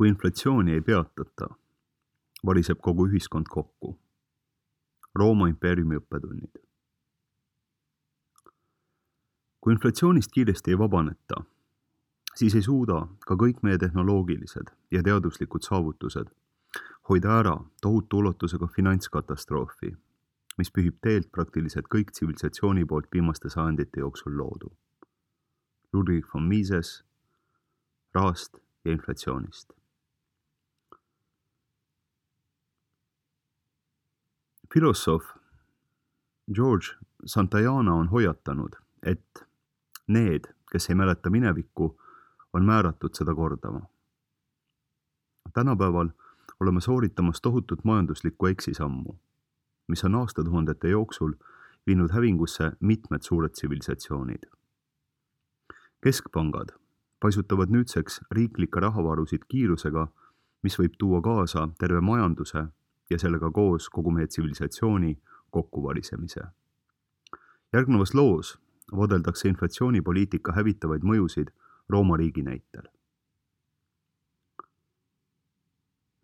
Kui inflatsiooni ei peatata, variseb kogu ühiskond kokku. Rooma impeeriumi õppetunnid. Kui inflatsioonist kiiresti ei vabaneta, siis ei suuda ka kõik meie tehnoloogilised ja teaduslikud saavutused hoida ära tohutu ulatusega finantskatastroofi, mis pühib teelt praktiliselt kõik tsivilisatsiooni poolt viimaste sajandite jooksul loodu. Ludwig von Mises, rahast ja inflatsioonist. Filosoof George Santayana on hoiatanud, et need, kes ei mäleta minevikku, on määratud seda kordama. Tänapäeval oleme sooritamas tohutut majanduslikku eksisammu, mis on aastatuhandete jooksul viinud hävingusse mitmed suured tsivilisatsioonid. Keskpangad paisutavad nüüdseks riiklikke rahavarusid kiirusega, mis võib tuua kaasa terve majanduse ja sellega koos kogu meie tsivilisatsiooni kokkuvarisemise. Järgnevas loos vaadeldakse inflatsioonipoliitika hävitavaid mõjusid Rooma riigi näitel.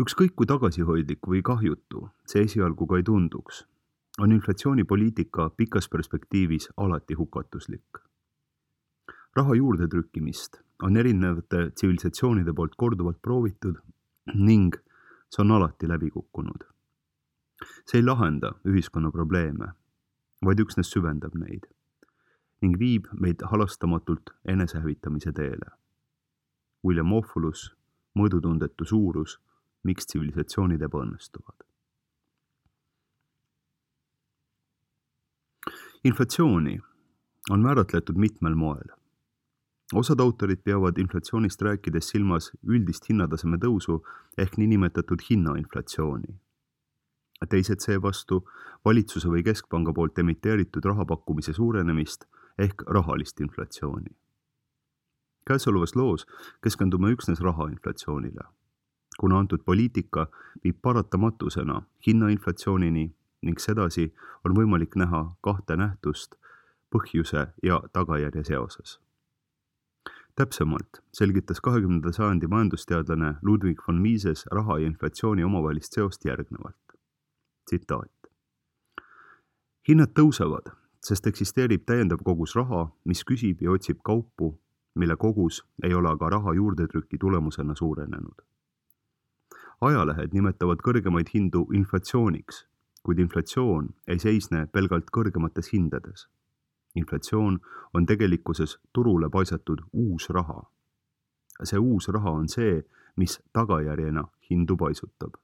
Ükskõik kui tagasihoidlik või kahjutu see esialgu ka ei tunduks, on inflatsioonipoliitika pikas perspektiivis alati hukatuslik. Raha juurde trükkimist on erinevate tsivilisatsioonide poolt korduvalt proovitud ning see on alati läbi kukkunud. See ei lahenda ühiskonna probleeme, vaid üksnes süvendab neid ning viib meid halastamatult enesehävitamise teele. William Ophulus, mõõdutundetu suurus, miks tsivilisatsioonid ebaõnnestuvad. Inflatsiooni on määratletud mitmel moel. Osad autorid peavad inflatsioonist rääkides silmas üldist hinnataseme tõusu ehk niinimetatud hinnainflatsiooni. Teised seevastu valitsuse või keskpanga poolt emiteeritud rahapakkumise suurenemist ehk rahalist inflatsiooni. Käesolevas loos keskendume üksnes rahainflatsioonile, kuna antud poliitika viib paratamatusena hinnainflatsioonini ning sedasi on võimalik näha kahte nähtust põhjuse ja tagajärje seoses. Täpsemalt selgitas 20. sajandi majandusteadlane Ludwig von Mises raha ja inflatsiooni omavahelist seost järgnevalt. Tsitaat. Hinnad tõusevad, sest eksisteerib täiendav kogus raha, mis küsib ja otsib kaupu, mille kogus ei ole aga raha juurdetrüki tulemusena suurenenud. Ajalehed nimetavad kõrgemaid hindu inflatsiooniks, kuid inflatsioon ei seisne pelgalt kõrgemates hindades. Inflatsioon on tegelikkuses turule paisatud uus raha. See uus raha on see, mis tagajärjena hindu paisutab.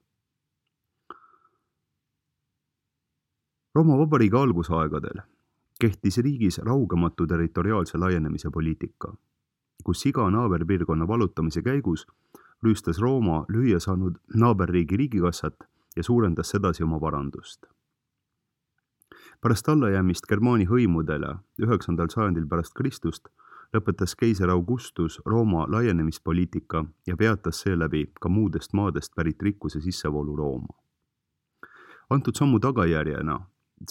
Rooma Vabariigi algusaegadel kehtis riigis raugematu territoriaalse laienemise poliitika, kus iga naaberpiirkonna vallutamise käigus rüüstas Rooma lüüa saanud naaberriigi riigikassat ja suurendas sedasi oma varandust. Pärast allajäämist Germaani hõimudele 9. sajandil pärast Kristust lõpetas keiser Augustus Rooma laienemispoliitika ja peatas seeläbi ka muudest maadest pärit rikkuse sissevoolu Rooma. Antud sammu tagajärjena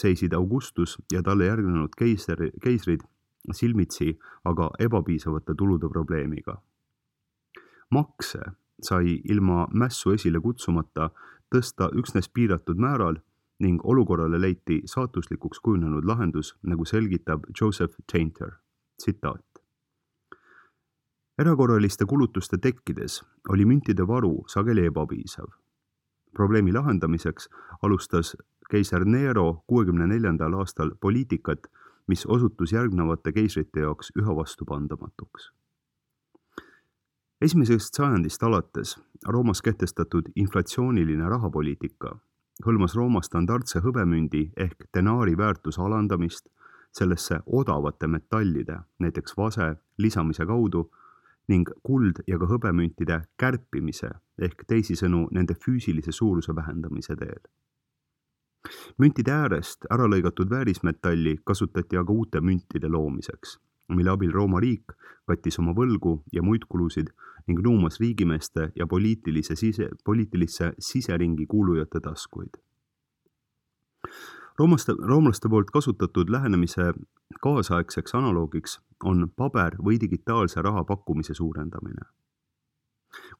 seisid Augustus ja talle järgnenud keisrid silmitsi aga ebapiisavate tulude probleemiga. Makse sai ilma mässu esile kutsumata tõsta üksnes piiratud määral ning olukorrale leiti saatuslikuks kujunenud lahendus, nagu selgitab Joseph Tainter. Tsitaat. Erakorraliste kulutuste tekkides oli müntide varu sageli ebapiisav. Probleemi lahendamiseks alustas keiser Nero 64. aastal poliitikat, mis osutus järgnevate keisrite jaoks üha vastupandamatuks. Esimesest sajandist alates Roomas kehtestatud inflatsiooniline rahapoliitika hõlmas Rooma standardse hõbemündi ehk denaari väärtuse alandamist sellesse odavate metallide, näiteks vase, lisamise kaudu ning kuld ja ka hõbemüntide kärpimise ehk teisisõnu nende füüsilise suuruse vähendamise teel. Müntide äärest ära lõigatud väärismetalli kasutati aga uute müntide loomiseks, mille abil Rooma riik kattis oma võlgu ja muid kulusid ning nuumas riigimeeste ja poliitilisse siseringi kuulujate taskuid. Roomlaste poolt kasutatud lähenemise kaasaegseks analoogiks on paber- või digitaalse raha pakkumise suurendamine.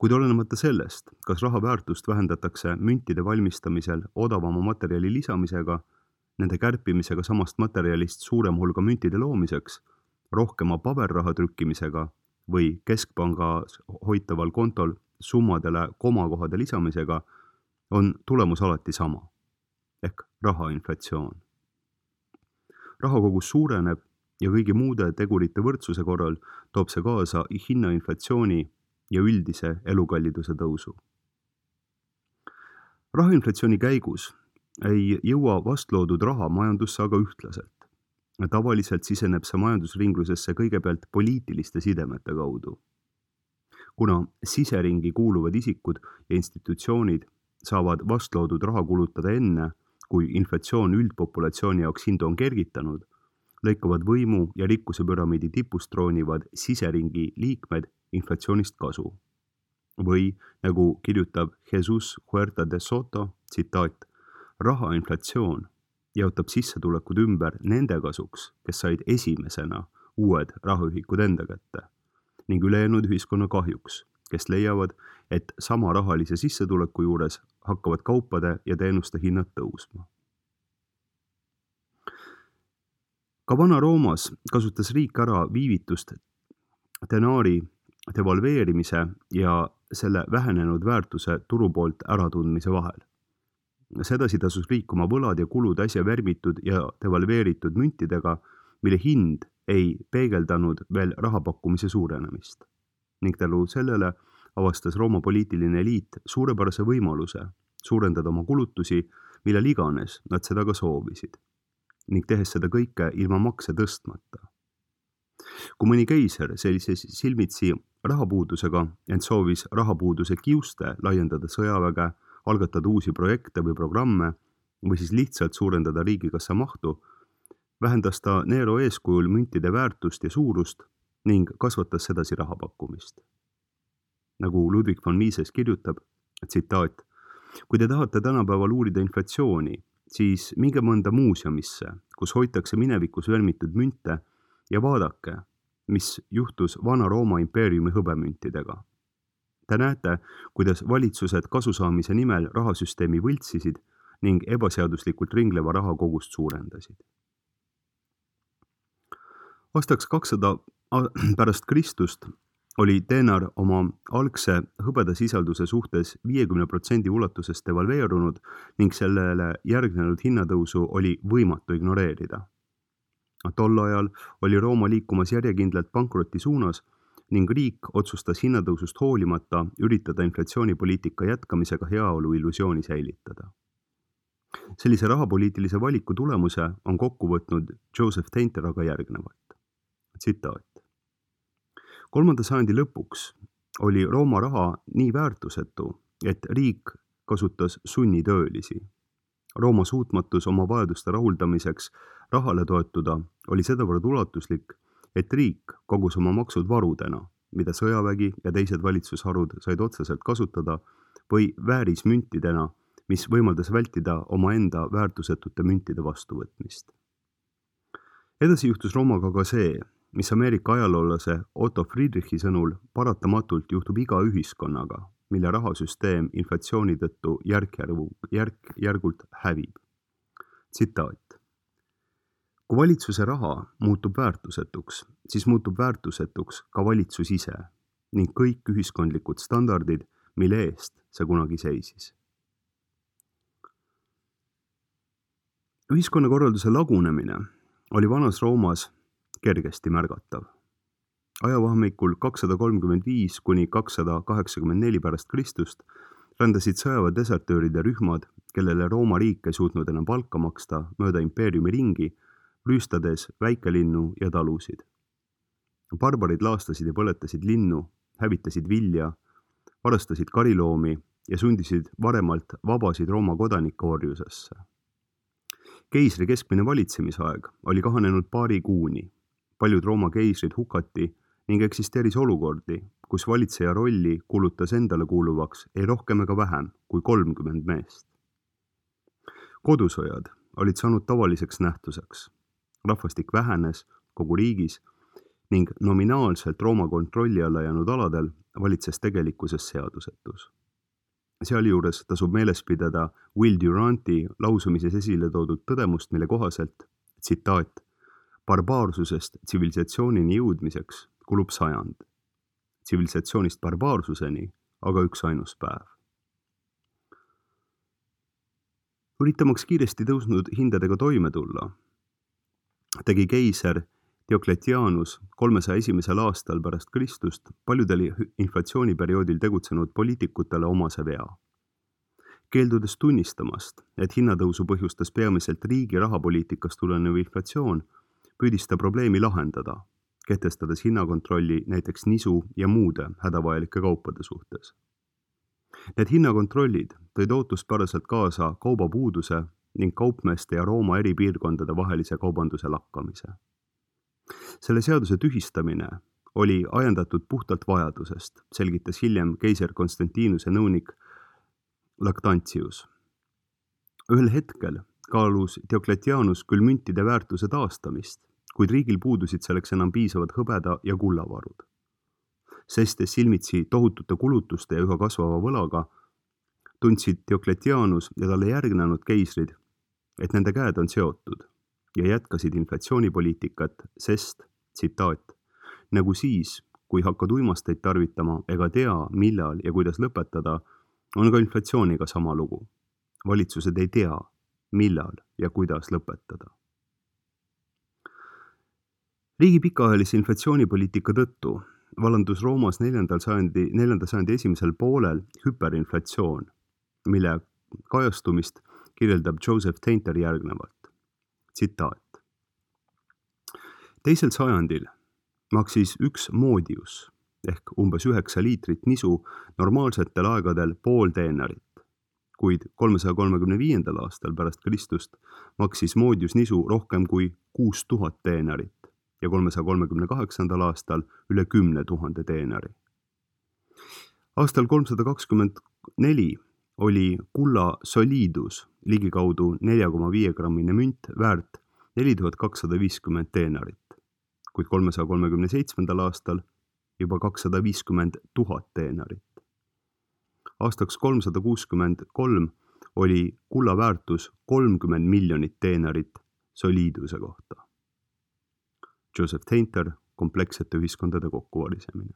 Kuid olenemata sellest, kas raha väärtust vähendatakse müntide valmistamisel odavama materjali lisamisega, nende kärpimisega samast materjalist suurem hulga müntide loomiseks, rohkema paberraha trükkimisega või keskpangas hoitaval kontol summadele komakohade lisamisega, on tulemus alati sama, ehk rahainflatsioon. Rahakogus suureneb ja kõigi muude tegurite võrdsuse korral toob see kaasa hinnainflatsiooni ja üldise elukalliduse tõusu. Rahainflatsiooni käigus ei jõua vastloodud raha majandusse aga ühtlaselt. Tavaliselt siseneb see majandusringlusesse kõigepealt poliitiliste sidemete kaudu. Kuna siseringi kuuluvad isikud ja institutsioonid saavad vastloodud raha kulutada enne, kui inflatsioon üldpopulatsiooni jaoks hindu on kergitanud, lõikavad võimu ja rikkuse püramiidi tipust troonivad siseringi liikmed inflatsioonist kasu. Või, nagu kirjutab Jesus Huerta de Soto, tsitaat, rahainflatsioon jaotab sissetulekud ümber nende kasuks, kes said esimesena uued rahaühikud enda kätte, ning ülejäänud ühiskonna kahjuks, kes leiavad, et sama rahalise sissetuleku juures hakkavad kaupade ja teenuste hinnad tõusma. Ka Vana-Roomas kasutas riik ära viivitust denaari devalveerimise ja selle vähenenud väärtuse turu poolt äratundmise vahel. Sedasi tasus riik oma võlad ja kulud äsja värmitud ja devalveeritud müntidega, mille hind ei peegeldanud veel rahapakkumise suurenemist. Ning tänu sellele avastas Rooma poliitiline eliit suurepärase võimaluse suurendada oma kulutusi, millal iganes nad seda ka soovisid, ning tehes seda kõike ilma makse tõstmata. Kui mõni keiser sellises silmitsi rahapuudusega, ent soovis rahapuuduse kiuste laiendada sõjaväge, algatada uusi projekte või programme või siis lihtsalt suurendada riigikassa mahtu, vähendas ta Nero eeskujul müntide väärtust ja suurust ning kasvatas sedasi rahapakkumist. Nagu Ludwig von Mises kirjutab, tsitaat, kui te tahate tänapäeval uurida inflatsiooni, siis minge mõnda muuseumisse, kus hoitakse minevikus värmitud münte ja vaadake, mis juhtus Vana-Rooma impeeriumi hõbemüntidega. Te näete, kuidas valitsused kasusaamise nimel rahasüsteemi võltsisid ning ebaseaduslikult ringleva rahakogust suurendasid. Aastaks 200 pärast Kristust oli denar oma algse hõbedasisalduse suhtes 50% ulatuses devalveerunud ning sellele järgnenud hinnatõusu oli võimatu ignoreerida. Tol ajal oli Rooma liikumas järjekindlalt pankroti suunas ning riik otsustas hinnatõusust hoolimata üritada inflatsioonipoliitika jätkamisega heaolu illusiooni säilitada. Sellise rahapoliitilise valiku tulemuse on kokku võtnud Joseph Tainter aga järgnevalt. Tsitaat. 3. sajandi lõpuks oli Rooma raha nii väärtusetu, et riik kasutas sunnitöölisi. Rooma suutmatus oma vajaduste rahuldamiseks rahale toetuda oli sedavõrd ulatuslik, et riik kogus oma maksud varudena, mida sõjavägi ja teised valitsusharud said otseselt kasutada, või väärismüntidena, mis võimaldas vältida omaenda väärtusetute müntide vastuvõtmist. Edasi juhtus Roomaga ka see, mis Ameerika ajaloolase Otto Friedrichi sõnul paratamatult juhtub iga ühiskonnaga, mille rahasüsteem inflatsiooni tõttu järk-järgult hävib. Tsitaat. Kui valitsuse raha muutub väärtusetuks, siis muutub väärtusetuks ka valitsus ise ning kõik ühiskondlikud standardid, mille eest see kunagi seisis. Ühiskonnakorralduse lagunemine oli Vanas Roomas kergesti märgatav. Ajavahemikul 235 kuni 284 pärast Kristust rändasid sõjava desertööride rühmad, kellele Rooma riik ei suutnud enam palka maksta mööda impeeriumi ringi, rüüstades väikelinnu ja talusid. Barbarid laastasid ja põletasid linnu, hävitasid vilja, varastasid kariloomi ja sundisid varemalt vabasid Rooma kodanikke orjusesse. Keisri keskmine valitsemisaeg oli kahanenud paari kuuni. Paljud Rooma keisrid hukati ning eksisteeris olukordi, kus valitseja rolli kuulutas endale kuuluvaks ei rohkem ega vähem kui 30 meest. Kodusõjad olid saanud tavaliseks nähtuseks. Rahvastik vähenes kogu riigis ning nominaalselt Rooma kontrolli alla jäänud aladel valitses tegelikkuses seadusetus. Sealjuures tasub meeles pidada Will Duranti lausumises esile toodud tõdemust, mille kohaselt, tsitaat, barbaarsusest tsivilisatsioonini jõudmiseks kulub 100, tsivilisatsioonist barbaarsuseni aga üksainus päev. Üritamaks kiiresti tõusnud hindadega toime tulla, tegi keiser Diocletianus 301. aastal pärast Kristust paljudel inflatsiooniperioodil tegutsenud poliitikutele omase vea. Keeldudes tunnistamast, et hinnatõusu põhjustas peamiselt riigi rahapoliitikast tulenev inflatsioon, püüdis ta probleemi lahendada, kehtestades hinnakontrolli näiteks nisu ja muude hädavajalike kaupade suhtes. Need hinnakontrollid tõid ootuspäraselt kaasa kaubapuuduse ning kaupmeeste ja Rooma eri piirkondade vahelise kaubanduse lakkamise. Selle seaduse tühistamine oli ajendatud puhtalt vajadusest, selgitas hiljem keiser Konstantinuse nõunik Lactantius. Ühel hetkel kaalus Diocletianus küll müntide väärtuse taastamist, kuid riigil puudusid selleks enam piisavad hõbeda ja kullavarud. Seistes silmitsi tohutute kulutuste ja üha kasvava võlaga, tundsid Diocletianus ja talle järgnenud keisrid, et nende käed on seotud ja jätkasid inflatsioonipoliitikat, sest, tsitaat, nagu siis, kui hakkad uimasteid tarvitama ega tea, millal ja kuidas lõpetada, on ka inflatsiooniga sama lugu. Valitsused ei tea, millal ja kuidas lõpetada. Riigi pikaajalise inflatsioonipoliitika tõttu vallandus Roomas 4. sajandi esimesel poolel hüperinflatsioon, mille kajastumist kirjeldab Joseph Tainter järgnevalt. Tsitaat. 2. sajandil maksis üks modius ehk umbes 9 liitrit nisu normaalsetel aegadel pool teenarit, kuid 335. aastal pärast Kristust maksis modius nisu rohkem kui 6000 teenarit ja 338. aastal üle 10 000 teenari. Aastal 324 oli kulla soliidus ligikaudu 4,5 grammine münt väärt 4250 teenarit, kuid 337. aastal juba 250 000 teenarit. Aastaks 363 oli kulla väärtus 30 miljonit teenarit soliiduse kohta. Joseph Tainter, komplekssete ühiskondade kokkuvarisemine.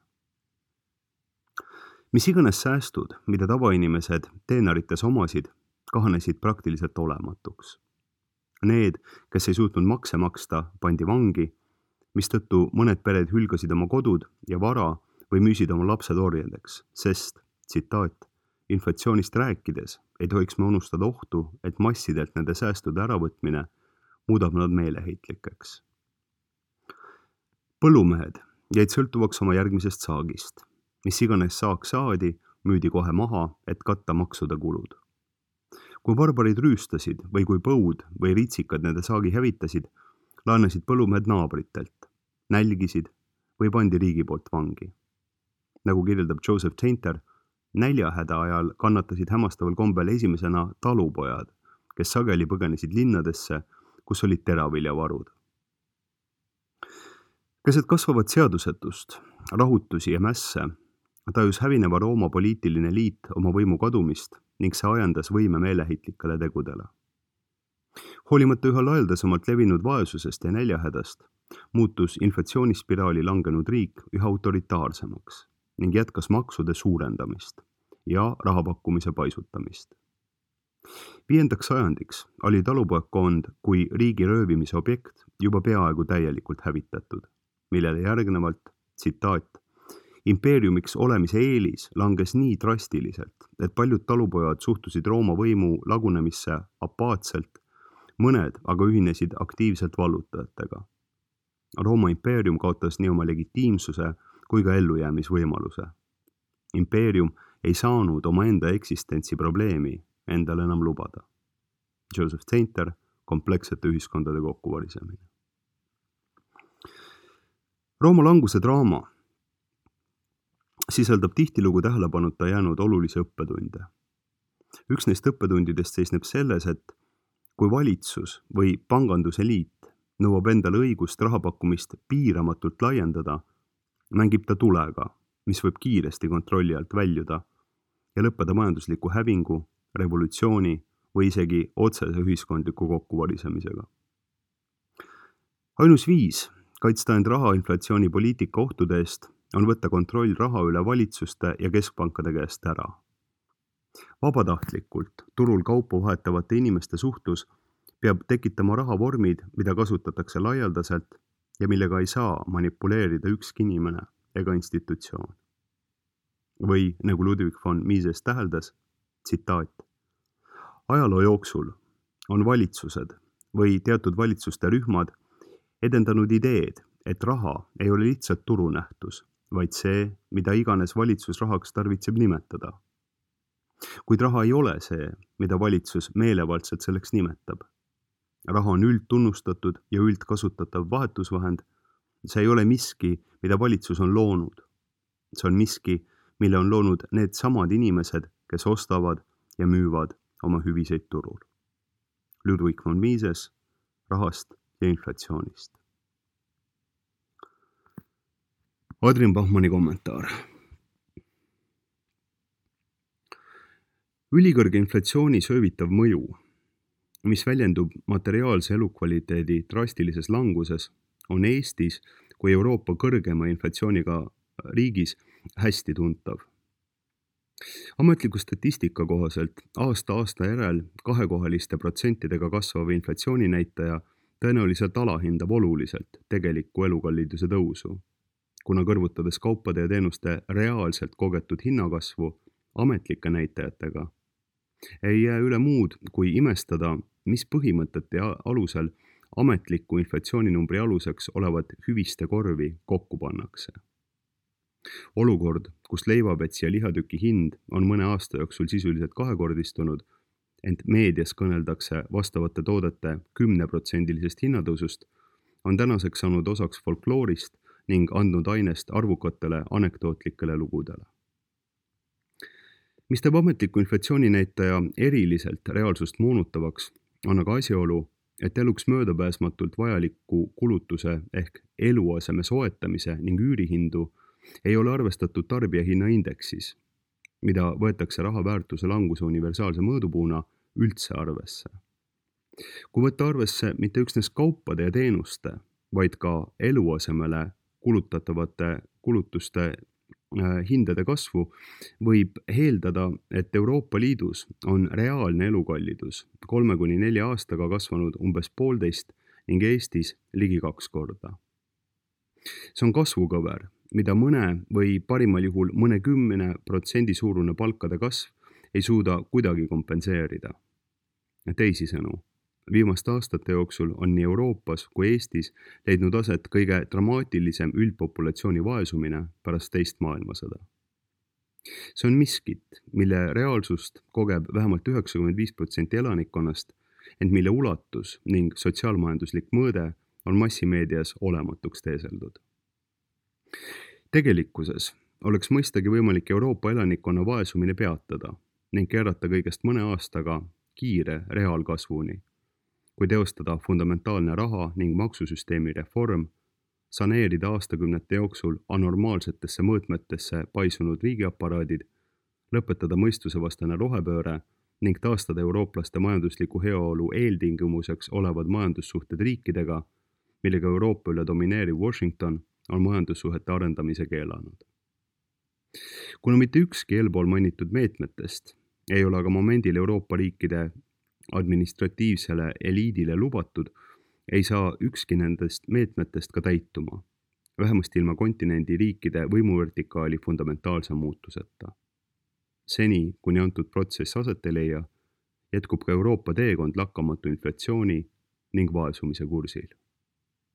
Mis iganes säästud, mida tavainimesed teenarites omasid, kahanesid praktiliselt olematuks. Need, kes ei suutnud makse maksta, pandi vangi, mistõttu mõned pered hülgasid oma kodud ja vara või müüsid oma lapsed orjadeks, sest, tsitaat, inflatsioonist rääkides ei tohiks me unustada ohtu, et massidelt nende säästude äravõtmine muudab nad meeleheitlikeks. Põllumehed jäid sõltuvaks oma järgmisest saagist. Mis iganes saak saadi, müüdi kohe maha, et katta maksude kulud. Kui barbarid rüüstasid või kui põud või ritsikad nende saagi hävitasid, laenasid põllumehed naabritelt, nälgisid või pandi riigi poolt vangi. Nagu kirjeldab Joseph Tainter, näljahäda ajal kannatasid hämmastaval kombel esimesena talupojad, kes sageli põgenesid linnadesse, kus olid teraviljavarud. Keset kasvavat seadusetust, rahutusi ja mässe, tajus hävineva Rooma poliitiline liit oma võimu kadumist ning see ajendas võime meeleheitlikele tegudele. Hoolimata üha laialdasemalt levinud vaesusest ja näljahädast, muutus inflatsioonispiraali langenud riik üha autoritaarsemaks ning jätkas maksude suurendamist ja rahapakkumise paisutamist. 5. sajandiks oli talupojakkond kui riigi röövimise objekt juba peaaegu täielikult hävitatud, millele järgnevalt, tsitaat, impeeriumiks olemise eelis langes nii drastiliselt, et paljud talupojad suhtusid Rooma võimu lagunemisse apaatselt, mõned aga ühinesid aktiivselt vallutajatega. Rooma impeerium kaotas nii oma legitiimsuse kui ka ellujäämisvõimaluse. Impeerium ei saanud omaenda eksistentsi probleemi endale enam lubada. Joseph Tainter, komplekssete ühiskondade kokkuvarisemine. Rooma languse draama sisaldab tihtilugu tähelepanuta jäänud olulisi õppetunde. Üks neist õppetundidest seisneb selles, et kui valitsus või panganduse liit nõuab endale õigust rahapakkumist piiramatult laiendada, mängib ta tulega mis võib kiiresti kontrolli alt väljuda ja lõppeda majandusliku hävingu, revolutsiooni või isegi otsese ühiskondliku kokkuvarisemisega. Ainus viis kaitsta end rahainflatsiooni poliitika ohtude eest on võtta kontroll raha üle valitsuste ja keskpankade käest ära. Vabatahtlikult turul kaupu vahetavate inimeste suhtlus peab tekitama rahavormid, mida kasutatakse laialdaselt ja millega ei saa manipuleerida ükski inimene ega institutsioon. Või nagu Ludwig von Mises täheldas, tsitaat: ajaloo jooksul on valitsused või teatud valitsuste rühmad edendanud ideed, et raha ei ole lihtsalt turunähtus, vaid see, mida iganes valitsus rahaks tarvitseb nimetada. Kuid raha ei ole see, mida valitsus meelevaldselt selleks nimetab. Raha on üldtunnustatud ja üldkasutatav vahetusvahend. See ei ole miski, mida valitsus on loonud. See on miski, mille on loonud need samad inimesed, kes ostavad ja müüvad oma hüviseid turul. Ludwig von Mises, rahast ja inflatsioonist. Adrian Bachmanni kommentaar. Ülikõrge inflatsiooni söövitav mõju, mis väljendub materiaalse elukvaliteedi drastilises languses, on Eestis kui Euroopa kõrgema inflatsiooniga riigis hästi tuntav. Ametliku statistika kohaselt aasta järel kahekohaliste protsentidega kasvav inflatsiooninäitaja tõenäoliselt alahindab oluliselt tegelikku elukalliduse tõusu, kuna kõrvutades kaupade ja teenuste reaalselt kogetud hinnakasvu ametlike näitajatega, ei jää üle muud kui imestada, mis põhimõtete alusel ametliku inflatsiooninumbri aluseks olevat hüviste korvi kokku pannakse. Olukord, kus leivapets ja lihatüki hind on mõne aasta jooksul sisuliselt kahekordistunud, ent meedias kõneldakse vastavate toodete 10% hinnatõusust, on tänaseks saanud osaks folkloorist ning andnud ainest arvukatele anekdootlikele lugudele. Mis teeb ametliku inflatsiooninäitaja eriliselt reaalsust moonutavaks, on aga asjaolu, et eluks möödapääsmatult vajaliku kulutuse ehk eluaseme soetamise ning üürihindu ei ole arvestatud tarbijahinnaindeksis, mida võetakse raha väärtuse languse universaalse mõõdupuuna üldse arvesse. Kui võtta arvesse mitte üksnes kaupade ja teenuste, vaid ka eluasemele kulutatavate kulutuste hindade kasvu, võib eeldada, et Euroopa Liidus on reaalne elukallidus 3–4 aastaga kasvanud umbes 1,5 ning Eestis ligi 2 korda. See on kasvukõver, mida mõne või parimal juhul mõne 10% suurune palkade kasv ei suuda kuidagi kompenseerida. Teisisõnu, viimaste aastate jooksul on nii Euroopas kui Eestis leidnud aset kõige dramaatilisem üldpopulatsiooni vaesumine pärast teist maailmasõda. See on miskit, mille reaalsust kogeb vähemalt 95% elanikkonnast, ent mille ulatus ning sotsiaalmajanduslik mõõde on massimeedias olematuks teeseldud. Tegelikkuses oleks mõistagi võimalik Euroopa elanikkonna vaesumine peatada ning keerata kõigest mõne aastaga kiire reaalkasvuni, kui teostada fundamentaalne raha ning maksusüsteemi reform, saneerida aastakümnete jooksul anormaalsetesse mõõtmetesse paisunud riigiaparaadid, lõpetada mõistusevastane rohepööre ning taastada eurooplaste majandusliku heaolu eeltingimuseks olevad majandussuhted riikidega, millega Euroopa üle domineeriv Washington on majandussuhete arendamise keelanud. Kuna mitte ükski eelpool mainitud meetmetest ei ole aga momendil Euroopa riikide administratiivsele eliidile lubatud, ei saa ükski nendest meetmetest ka täituma, vähemasti ilma kontinendi riikide võimuvertikaali fundamentaalse muutuseta. Seni, kuni antud protsess aset ei leia, jätkub ka Euroopa teekond lakkamatu inflatsiooni ning vaesumise kursil.